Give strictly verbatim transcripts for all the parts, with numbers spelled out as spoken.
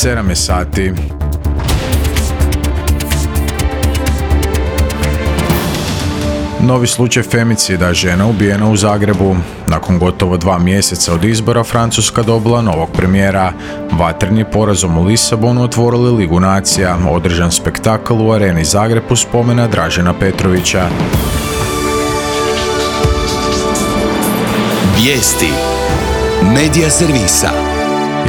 sedam je sati. Novi slučaj femicida, žena ubijena u Zagrebu. Nakon gotovo dva mjeseca od izbora, Francuska dobila novog premijera. Vatreni porazom u Lisabonu otvorili Ligu nacija, održan spektakl u areni Zagreb u spomena Dražena Petrovića. Vijesti Medija servisa.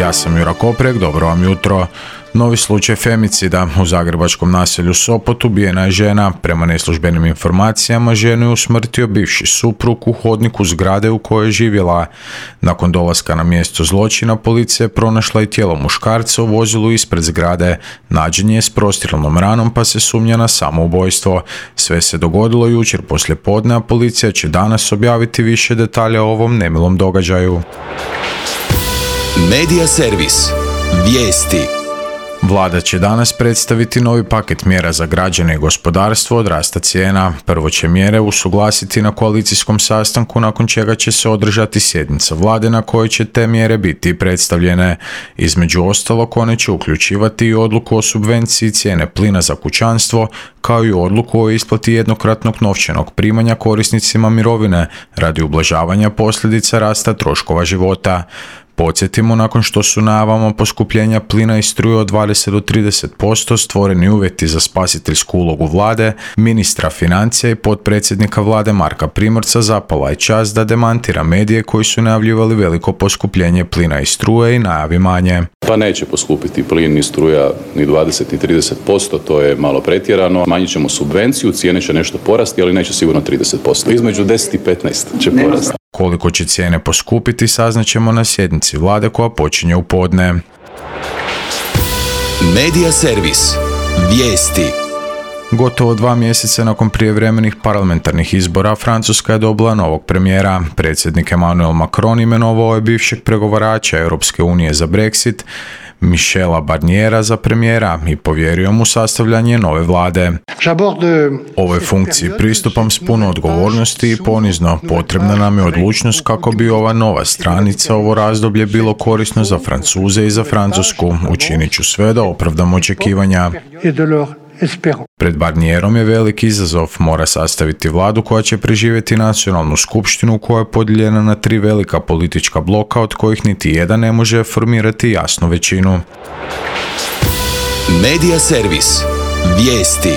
Ja sam Jura Koprek, dobro vam jutro. Novi slučaj femicida u zagrebačkom naselju Sopot, ubijena je žena. Prema neslužbenim informacijama, ženu je usmrtio bivši suprug u hodniku zgrade u kojoj je živjela. Nakon dolaska na mjesto zločina, policija je pronašla i tijelo muškarca u vozilu ispred zgrade. Nađen je s prostrilnom ranom, pa se sumnja na samoubojstvo. Sve se dogodilo jučer poslijepodne, a policija će danas objaviti više detalja o ovom nemilom događaju. Medija servis. Vijesti. Vlada će danas predstaviti novi paket mjera za građane i gospodarstvo od rasta cijena. Prvo će mjere usuglasiti na koalicijskom sastanku, nakon čega će se održati sjednica vlade na kojoj će te mjere biti predstavljene. Između ostalog, one će uključivati i odluku o subvenciji cijene plina za kućanstvo, kao i odluku o isplati jednokratnog novčanog primanja korisnicima mirovine radi ublažavanja posljedica rasta troškova života. Podsjetimo, nakon što su najavama poskupljenja plina i struje od dvadeset do trideset posto stvoreni uvjeti za spasiteljsku ulogu vlade, ministra financija i potpredsjednika vlade Marka Primorca zapala je čast da demantira medije koji su najavljivali veliko poskupljenje plina i struje i najavi manje. Pa neće poskupiti plin ni struja ni dvadeset i trideset posto, to je malo pretjerano. Manjit ćemo subvenciju, cijene će nešto porasti, ali neće sigurno trideset posto. Između deset i petnaest će porasti. Koliko će cijene poskupiti, saznaćemo na sjednici vlade koja počinje u podne. Medija servis. Vijesti. Gotovo dva mjeseca nakon prijevremenih parlamentarnih izbora, Francuska je dobila novog premijera. Predsjednik Emmanuel Macron imenovao je bivšeg pregovarača Europske unije za Brexit, Michela Barniera, za premijera i povjerio mu sastavljanje nove vlade. Ovoj funkciji pristupam s puno odgovornosti i ponizno. Potrebna nam je odlučnost kako bi ova nova stranica, ovo razdoblje, bilo korisno za Francuze i za Francusku. Učinit ću sve da opravdam očekivanja. Pred Barnierom je veliki izazov, mora sastaviti vladu koja će preživjeti nacionalnu skupštinu koja je podijeljena na tri velika politička bloka, od kojih niti jedan ne može formirati jasnu većinu. Medija servis. Vijesti.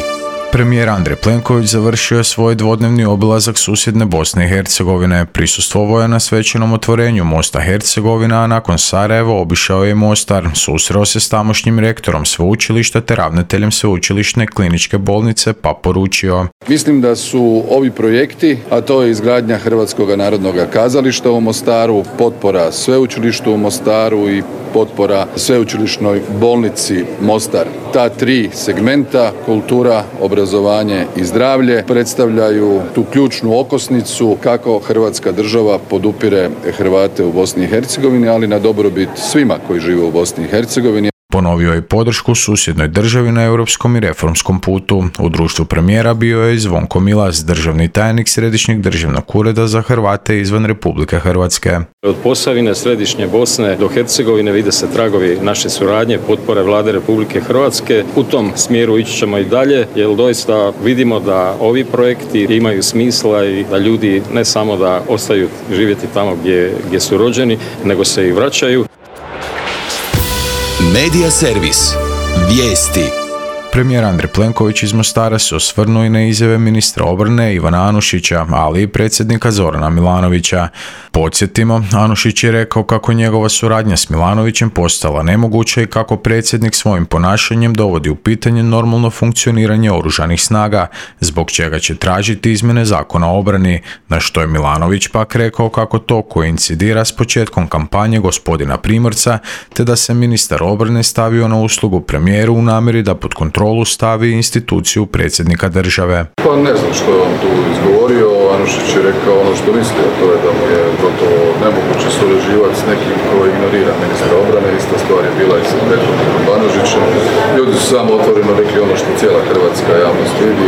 Premijer Andrej Plenković završio je svoj dvodnevni obilazak susjedne Bosne i Hercegovine. Prisustvovao je na svečanom otvorenju mosta Hercegovina, a nakon Sarajeva obišao je Mostar. Susreo se s tamošnjim rektorom sveučilišta te ravnateljem sveučilišne kliničke bolnice, pa poručio: Mislim da su ovi projekti, a to je izgradnja Hrvatskog narodnog kazališta u Mostaru, potpora sveučilištu u Mostaru i potpora sveučilišnoj bolnici Mostar. Ta tri segmenta, kultura, obrazovanje i zdravlje, predstavljaju tu ključnu okosnicu kako Hrvatska država podupire Hrvate u Bosni i Hercegovini, ali na dobrobit svima koji žive u Bosni i Hercegovini. Ponovio je podršku susjednoj državi na europskom i reformskom putu. U društvu premijera bio je i Zvonko Milas, državni tajnik Središnjeg državnog ureda za Hrvate izvan Republike Hrvatske. Od Posavine, središnje Bosne do Hercegovine vide se tragovi naše suradnje, potpore vlade Republike Hrvatske. U tom smjeru ići ćemo i dalje, jer doista vidimo da ovi projekti imaju smisla i da ljudi ne samo da ostaju živjeti tamo gdje, gdje su rođeni, nego se i vraćaju. Medija servis. Vijesti. Premijer Andrej Plenković iz Mostara se osvrnuo i na izjave ministra obrane Ivana Anušića, ali i predsjednika Zorana Milanovića. Podsjetimo, Anušić je rekao kako njegova suradnja s Milanovićem postala nemoguća i kako predsjednik svojim ponašanjem dovodi u pitanje normalno funkcioniranje oružanih snaga, zbog čega će tražiti izmjene zakona o obrani, na što je Milanović pak rekao kako to koincidira s početkom kampanje gospodina Primorca, te da se ministar obrane stavio na uslugu premijeru u namjeri da pod kontrolu stavi instituciju predsjednika države. Pa ne znam što je on tu izgovorio, Anušić je rekao ono što misli, a to je da mu je gotovo nemoguće surađivati s nekim koji ignorira ministra obrane. Ista stvar je bila i sa prethodnikom Banožićem. Ljudi su samo otvoreno rekli ono što cijela hrvatska javnost vidi.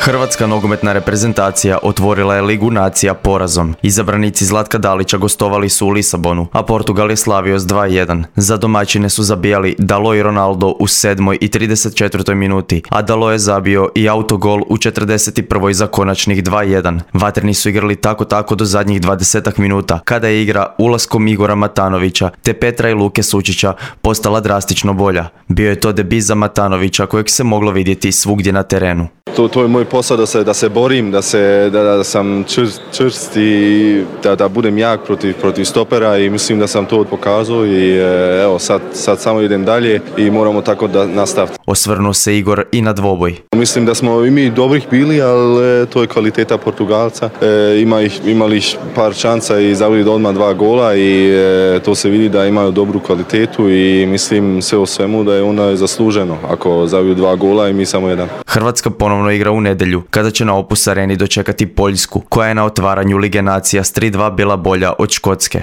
Hrvatska nogometna reprezentacija otvorila je Ligu nacija porazom. Izabranici Zlatka Dalića gostovali su u Lisabonu, a Portugal je slavio s dva jedan. Za domaćine su zabijali Dalot i Ronaldo u sedmoj i trideset četvrtoj minuti, a Dalot je zabio i autogol u četrdeset prvoj za konačnih dva jedan. Vatreni su igrali tako tako do zadnjih dvadesetak minuta, kada je igra ulaskom Igora Matanovića te Petra i Luke Sučića postala drastično bolja. Bio je to debut za Matanovića kojeg se moglo vidjeti svugdje na terenu. To, to je moj posao da se, da se borim, da, se, da, da sam čvrst, čvrst i da, da budem jak protiv, protiv stopera i mislim da sam to pokazao i evo sad, sad samo idem dalje i moramo tako da nastaviti. Osvrnuo se Igor i na dvoboj. Mislim da smo i mi dobrih bili, ali to je kvaliteta Portugalca. E, ima ih, imali par šansa i zabili odmah dva gola i e, to se vidi da imaju dobru kvalitetu i mislim sve o svemu da je ona zasluženo ako zabiju dva gola i mi samo jedan. Hrvatska ponovno igra u nedjelju, kada će na Opus Areni dočekati Poljsku, koja je na otvaranju Lige nacija s tri dva bila bolja od Škotske.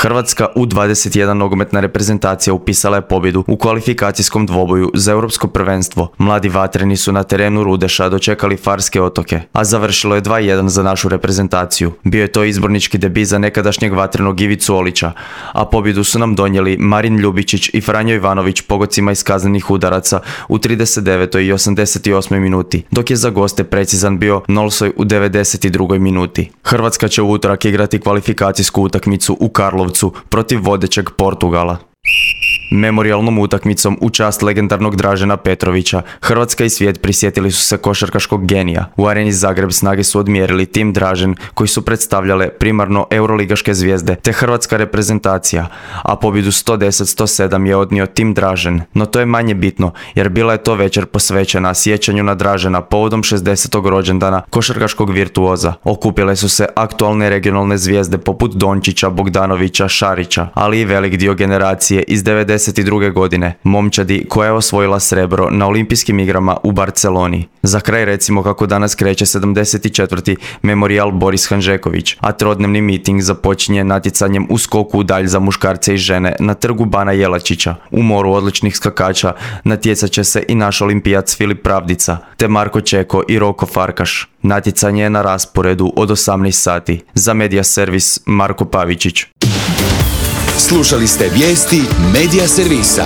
Hrvatska U dvadeset jedan nogometna reprezentacija upisala je pobjedu u kvalifikacijskom dvoboju za europsko prvenstvo. Mladi vatreni su na terenu Rudeša dočekali Farske otoke, a završilo je dva jedan za našu reprezentaciju. Bio je to izbornički debut za nekadašnjeg vatrenog Ivicu Olića, a pobjedu su nam donijeli Marin Ljubičić i Franjo Ivanović pogodcima iz kaznenih udaraca u trideset devetoj i osamdeset osmoj minuti, dok je za goste precizan bio Nolsoj u devedeset drugoj minuti. Hrvatska će u utorak igrati kvalifikacijsku utakmicu u Karlovcu protiv vodećeg Portugala. Memorijalnom utakmicom u čast legendarnog Dražena Petrovića, Hrvatska i svijet prisjetili su se košarkaškog genija. U areni Zagreb snage su odmjerili tim Dražen, koji su predstavljale primarno euroligaške zvijezde te hrvatska reprezentacija, a pobjedu sto deset sto sedam je odnio tim Dražen. No to je manje bitno, jer bila je to večer posvećena sjećanju na Dražena povodom šezdesetog rođendana košarkaškog virtuoza. Okupile su se aktualne regionalne zvijezde poput Dončića, Bogdanovića, Šarića, ali i velik dio generacije iz devedeset druge godine, momčadi koja je osvojila srebro na olimpijskim igrama u Barceloni. Za kraj recimo kako danas kreće sedamdeset četvrti Memorijal Boris Hanžeković, a trodnevni miting započinje natjecanjem u skoku u dalj za muškarce i žene na trgu Bana Jelačića. U moru odličnih skakača natjecat će se i naš olimpijac Filip Pravdica, te Marko Čeko i Roko Farkaš. Natjecanje je na rasporedu od osamnaest sati. Za Media Servis Marko Pavičić. Slušali ste vijesti Media Servisa.